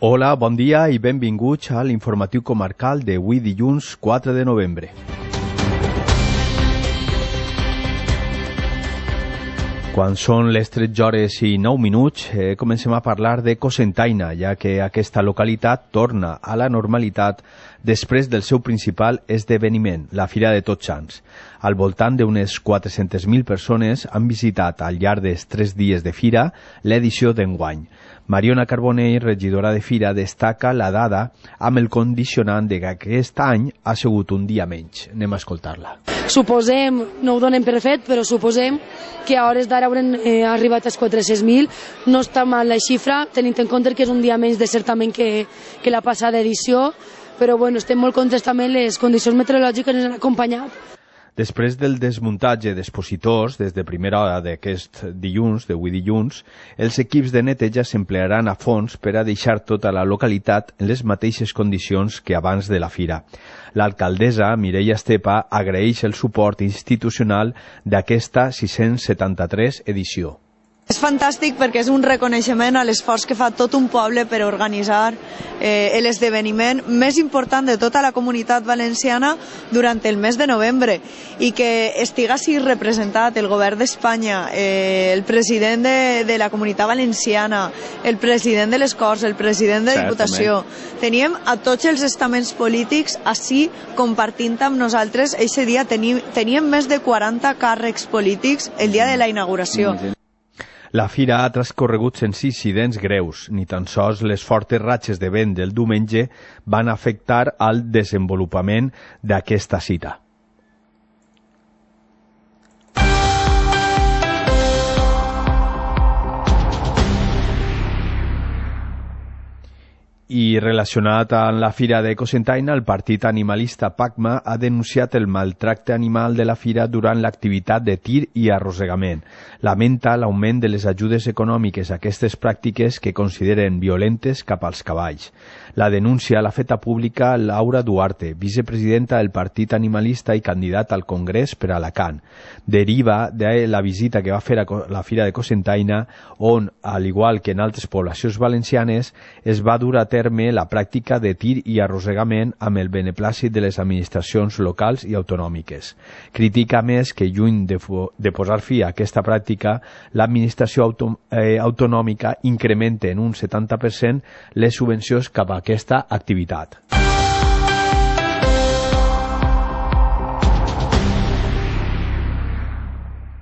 Hola, bon dia i benvinguts a l'informatiu comarcal d'avui dilluns 4 de novembre. Quan són les 13 hores i 9 minuts, comencem a parlar de Cocentaina, ja que aquesta localitat torna a la normalitat després del seu principal esdeveniment, la Fira de Tots Sants. Al voltant d'unes 400.000 persones han visitat al llarg dels 3 dies de fira l'edició d'enguany. Mariona Carbonell, regidora de Fira, destaca la dada amb el condicionant de que aquest any ha sigut un dia menys. Anem a escoltar-la. Suposem, no ho donem per fet, però suposem que a hores d'ara haurem arribat als 400.000. No està mal la xifra, tenint en compte que és un dia menys de certament que la passada edició, però bueno, estem molt contents també, les condicions meteorològiques ens han acompanyat. Després del desmuntatge d'expositors, des de primera hora d'aquest dilluns, d'avui dilluns, els equips de neteja s'emplearan a fons per a deixar tota la localitat en les mateixes condicions que abans de la fira. L'alcaldessa, Mireia Estepa, agraeix el suport institucional d'aquesta 673 edició. És fantàstic perquè és un reconeixement a l'esforç que fa tot un poble per organitzar l'esdeveniment més important de tota la comunitat valenciana durant el mes de novembre i que estigui representat el govern d'Espanya, el president de la comunitat valenciana, el president de les Corts, el president de Diputació. Teníem a tots els estaments polítics així compartint amb nosaltres. Eixe dia teníem més de 40 càrrecs polítics el dia de la inauguració. La fira ha transcorregut sense incidents greus, ni tan sols les fortes ratxes de vent del diumenge van afectar al desenvolupament d'aquesta cita. I relacionat amb la Fira de Cocentaina, el partit animalista PACMA ha denunciat el maltracte animal de la fira durant l'activitat de tir i arrossegament. Lamenta l'augment de les ajudes econòmiques a aquestes pràctiques que consideren violentes cap als cavalls. La denúncia l'ha feta pública Laura Duarte, vicepresidenta del partit animalista i candidat al Congrés per Alacant. Deriva de la visita que va fer a la Fira de Cocentaina, on, al igual que en altres poblacions valencianes, es va dur a terme la pràctica de tir i arrossegament amb el beneplàcit de les administracions locals i autonòmiques. Critica més que, lluny de posar fi a aquesta pràctica, l'administració autonòmica incrementa en un 70% les subvencions cap a aquesta activitat.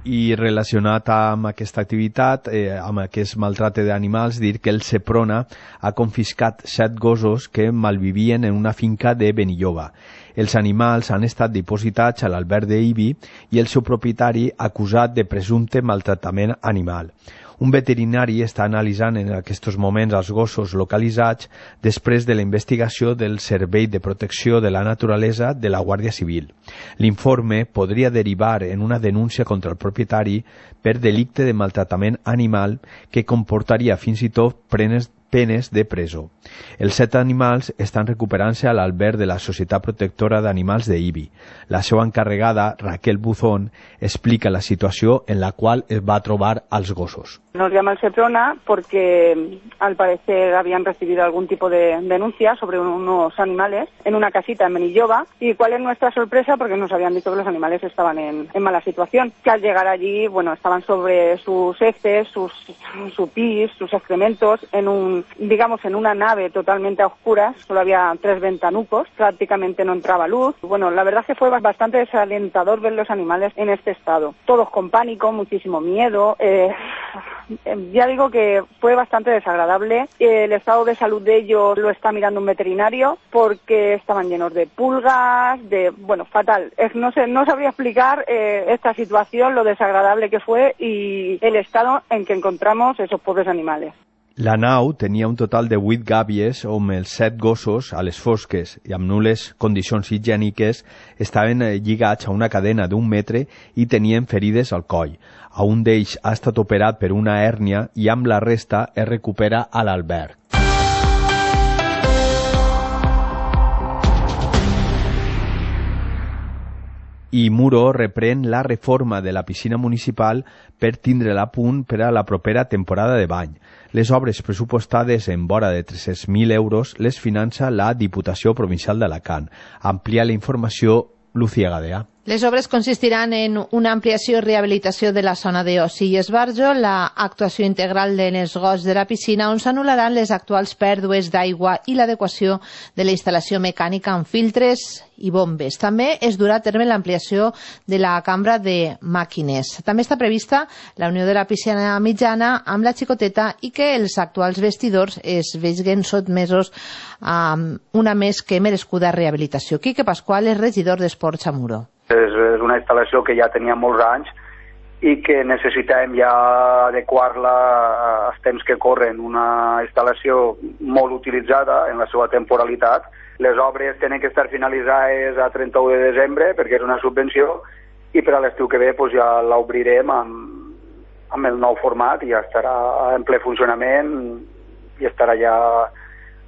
I relacionat amb aquesta activitat, amb aquest maltracte d'animals, dir que el Seprona ha confiscat 7 gossos que malvivien en una finca de Benilloba. Els animals han estat dipositats a l'alberg d'Ibi i el seu propietari acusat de presumpte maltractament animal. Un veterinari està analitzant en aquests moments els gossos localitzats després de la investigació del Servei de Protecció de la Naturalesa de la Guàrdia Civil. L'informe podria derivar en una denúncia contra el propietari per delicte de maltractament animal que comportaria fins i tot penes de presó. Els 7 animals estan recuperant-se a l'alberg de la Societat Protectora d'Animals d'Ibi. La seva encarregada, Raquel Buzón, explica la situació en la qual es va trobar als gossos. Nos llama el Seprona porque al parecer habían recibido algún tipo de denuncia sobre unos animales en una casita en Benilloba. ¿Y cuál es nuestra sorpresa? Porque nos habían dicho que los animales estaban en mala situación. Que al llegar allí, bueno, estaban sobre sus heces, su pis, sus excrementos, en una nave totalmente a oscuras. Solo había 3 ventanucos, prácticamente no entraba luz. Bueno, la verdad es que fue bastante desalentador ver los animales en este estado. Todos con pánico, muchísimo miedo. Ya digo que fue bastante desagradable. El estado de salud de ellos lo está mirando un veterinario porque estaban llenos de pulgas, fatal. No sabría explicar esta situación, lo desagradable que fue y el estado en que encontramos esos pobres animales. La nau tenia un total de 8 gàbies on els 7 gossos, a les fosques i amb nul·les condicions higièniques, estaven lligats a una cadena d'1 metre i tenien ferides al coll. A un d'ells ha estat operat per una hèrnia i amb la resta es recupera a l'alberg. i Muro reprèn la reforma de la piscina municipal per tindre-la a punt per a la propera temporada de bany. Les obres pressupostades en vora de 300.000 euros les finança la Diputació Provincial d'Alacant. Amplia la informació Lucía Gadea. Les obres consistiran en una ampliació i rehabilitació de la zona d'oci i esbarjo, la actuació integral de l'esgost de la piscina, on s'anul·laran les actuals pèrdues d'aigua i l'adequació de la instal·lació mecànica amb filtres i bombes. També es durà a terme l'ampliació de la cambra de màquines. També està prevista la unió de la piscina mitjana amb la xicoteta i que els actuals vestidors es vegin sotmesos a una més que merescuda rehabilitació. Quique Pascual és regidor d'Esports a Muro. És una instal·lació que ja tenia molts anys i que necessitem ja adequar-la als temps que corren. Una instal·lació molt utilitzada en la seva temporalitat. Les obres tenen que estar finalitzades a 31 de desembre perquè és una subvenció i per a l'estiu que ve doncs, ja l'obrirem amb el nou format i ja estarà en ple funcionament i estarà ja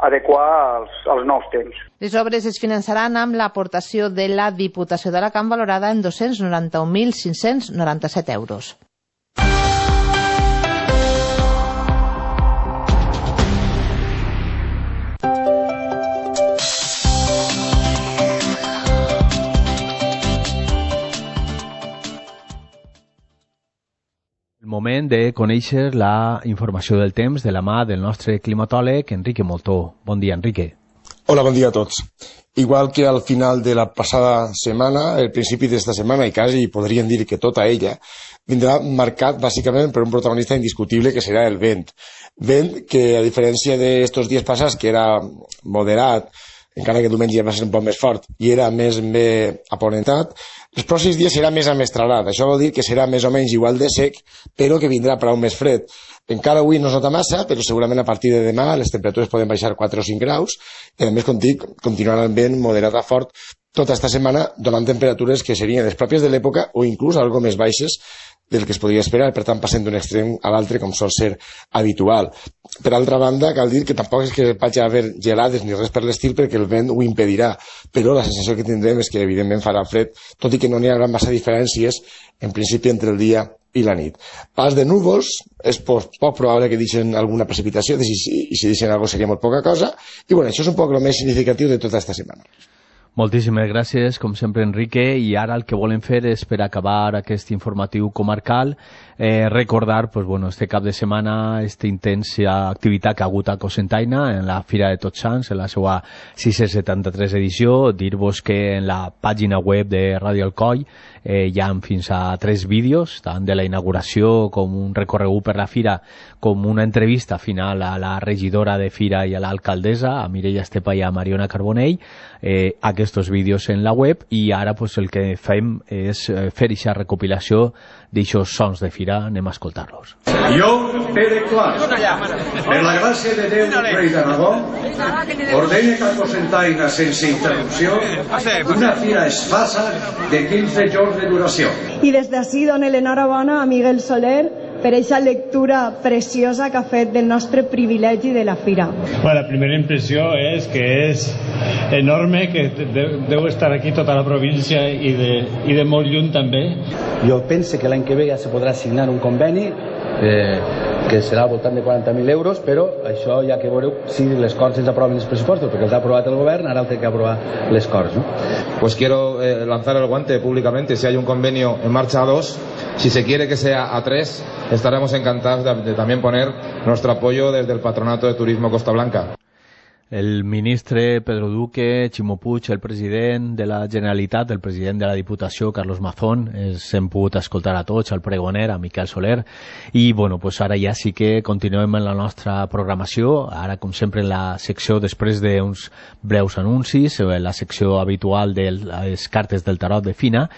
adequar als nous temps. Les obres es finançaran amb l'aportació de la Diputació d'Alacant valorada en 291.597 euros. El moment de conèixer la informació del temps de la mà del nostre climatòleg Enrique Moltó. Bon dia, Enrique. Hola, bon dia a tots. Igual que al final de la passada setmana, el principi d'esta setmana, i quasi podríem dir que tota ella, vindrà marcat bàsicament per un protagonista indiscutible que serà el vent. Vent que, a diferència d'estos dies passats, que era moderat, encara que diumenge ja va ser un poc més fort i era més bé aponentat, els pròxims dies serà més amestralat. Això vol dir que serà més o menys igual de sec, però que vindrà prou més fred. Encara avui no es nota massa, però segurament a partir de demà les temperatures poden baixar 4 o 5 graus i a més, com dic, continuarà el vent moderat a fort tota esta setmana, donant temperatures que serien les pròpies de l'època o inclús algo més baixes del que es podria esperar, per tant passem d'un extrem a l'altre com sol ser habitual. Per altra banda, cal dir que tampoc és que vagi a haver gelades ni res per l'estil perquè el vent ho impedirà, però la sensació que tindrem és que evidentment farà fred, tot i que no n'hi haurà massa diferències en principi entre el dia i la nit. Pas de núvols, és poc probable que deixen alguna precipitació i si deixen alguna cosa seria molt poca cosa i bueno, això és un poc el més significatiu de tota esta setmana. Moltíssimes gràcies, com sempre, Enrique, i ara el que volem fer és, per acabar aquest informatiu comarcal, recordar, pues, bueno, este cap de setmana, esta intensa activitat que ha hagut a Cocentaina, en la Fira de Tots Sants, en la seva 673 edició. Dir-vos que en la pàgina web de Ràdio Alcoi hi ha fins a 3 vídeos, tant de la inauguració com un recorregut per la Fira, com una entrevista final a la regidora de Fira i a l'alcaldessa, a Mireia Estepa i a Mariona Carbonell, aquests vídeos en la web, i ara pues, el que fem és fer aquesta recopilació d'aixòs sons de Fira. Anem a escoltar-los. Jo, Pere Clar, per la gràcia de Déu, rei d'Aragó, ordene que a Cocentaina, sense interrupció, una fira es faça de 15 jorns de duració. I des d'ací dono l'enhorabona a Miguel Soler per aquesta lectura preciosa que ha fet del nostre privilegi de la fira. Bueno, la primera impressió és que és enorme, que deu estar aquí tota la província i de molt lluny també. Jo penso que l'any que ve ja se podrà signar un conveni que serà al voltant de 40.000 euros, però això ja que veureu si les Corts ens aproven els pressupostos, perquè els ha aprovat el govern, ara el té que aprovar les Corts, ¿no? Pues quiero lanzar el guante públicamente. Si hay un convenio en marcha a 2, si se quiere que sea a 3, estaremos encantados de también poner nuestro apoyo desde el Patronato de Turismo Costa Blanca. El ministre Pedro Duque, Ximo Puig, el president de la Generalitat, el president de la Diputació, Carlos Mazón, s'hem pogut escoltar a tots, al pregoner, a Miquel Soler, i bueno, pues ara ja sí que continuem en la nostra programació, ara com sempre en la secció, després d'uns breus anuncis, la secció habitual de les cartes del tarot de Fina,